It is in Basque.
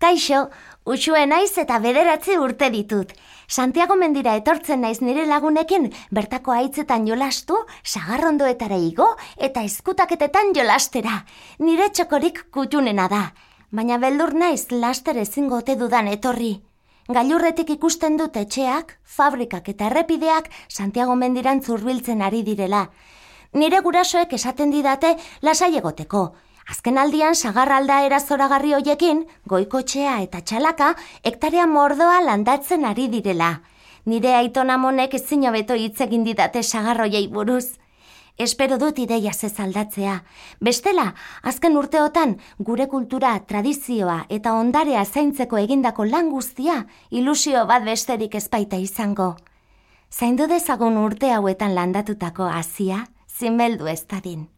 Kaixo, Uxue naiz eta 9 urte ditut. Santiago mendira etortzen naiz nire lagunekin bertako haitzetan jolastu, sagarrondoetara igo eta eskutaketetan jolastera. Nire txokorik kutunena da, baina beldur naiz laster ezingo ote dudan etorri. Gailurretik ikusten dut etxeak, fabrikak eta errepideak Santiago mendirantz hurbiltzen ari direla. Nire gurasoek esaten didate lasai egoteko. Azken aldian sagarralda zoragarri hoiekin, goikotxea eta txalaka hektarea mordoa landatzen ari direla. Nire aitonamonek ezin hobeto hitz egin didate sagarroiei buruz. Espero dut ideiaz ez aldatzea. Bestela, azken urteotan gure kultura, tradizioa eta ondarea zaintzeko egindako lan guztia ilusio bat besterik ez baita izango. Zaindu dezagun urte hauetan landatutako hazia, zinbeldu ez dadin.